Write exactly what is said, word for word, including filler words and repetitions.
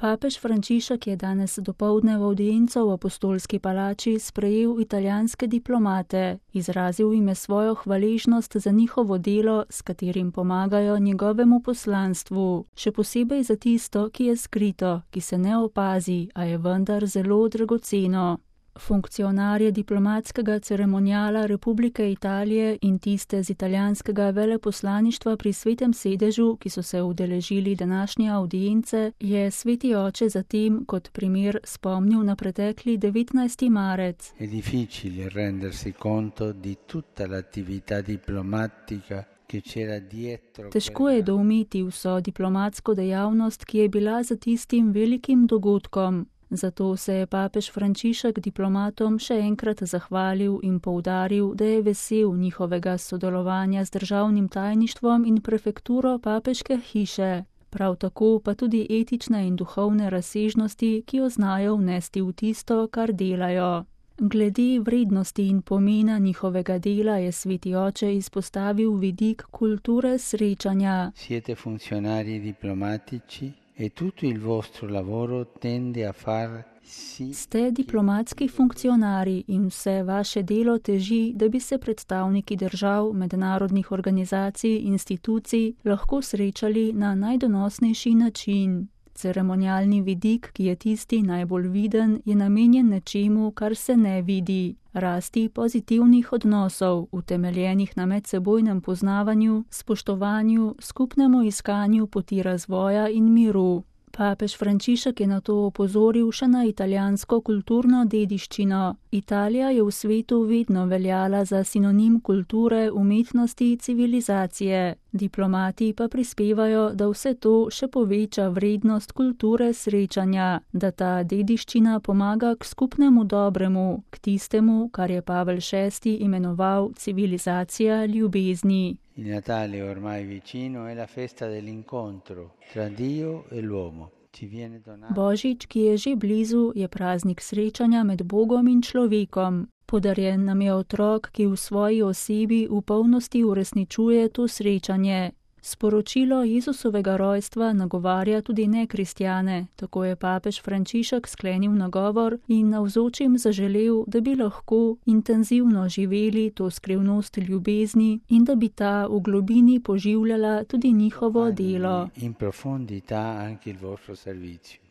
Papež Frančišek je danes dopoldne v avdienco v Apostolski palači sprejel italijanske diplomate, izrazil jim je svojo hvaležnost za njihovo delo, s katerim pomagajo njegovemu poslanstvu, še posebej za tisto, ki je skrito, ki se ne opazi, a je vendar zelo dragoceno. Funkcionarje diplomatskega ceremonijala Republike Italije in tiste z italijanskega veleposlaništva pri Svetem sedežu, ki so se udeležili današnje avdience, je Sveti oče zatem kot primer spomnil na pretekli devetnajsti marec. È difficile rendersi conto di tutta l'attività diplomatica. Težko je doumeti vso diplomatsko dejavnost, ki je bila za tistim velikim dogodkom. Zato se je papež Frančišek diplomatom še enkrat zahvalil in poudaril, da je vesel njihovega sodelovanja z državnim tajništvom in prefekturo papeške hiše, prav tako pa tudi etične in duhovne razsežnosti, ki jo znajo vnesti v tisto, kar delajo. Glede vrednosti in pomena njihovega dela je Sveti oče izpostavil vidik kulture srečanja. Siete funzionari diplomatici. E tutto il vostro lavoro tende a far sì. Ste diplomatski funkcionarji in vse vaše delo teži, da bi se predstavniki držav, mednarodnih organizacij, institucij lahko srečali na najdonosnejši način. Ceremonialni vidik, ki je tisti najbolj viden, je namenjen nečemu, kar se ne vidi, rasti pozitivnih odnosov, utemeljenih na medsebojnem poznavanju, spoštovanju, skupnemu iskanju poti razvoja in miru. Papež Frančišek je na to opozoril še na italijansko kulturno dediščino. Italija je v svetu vedno veljala za sinonim kulture, umetnosti, civilizacije. Diplomati pa prispevajo, da vse to še poveča vrednost kulture srečanja, da ta dediščina pomaga k skupnemu dobremu, k tistemu, kar je Pavel šesti imenoval civilizacija ljubezni. Il Natale ormai vicino è la festa dell'incontro tra Dio e l'uomo. Božič, ki je že blizu, je praznik srečanja med Bogom in človekom. Podarjen nam je otrok, ki v svoji osebi v polnosti uresničuje to srečanje. Sporočilo Jezusovega rojstva nagovarja tudi nekristjane, tako je papež Frančišek sklenil nagovor in navzočim zaželel, da bi lahko intenzivno živeli to skrivnost ljubezni in da bi ta v globini poživljala tudi njihovo delo. In profondità anche il vostro servizio.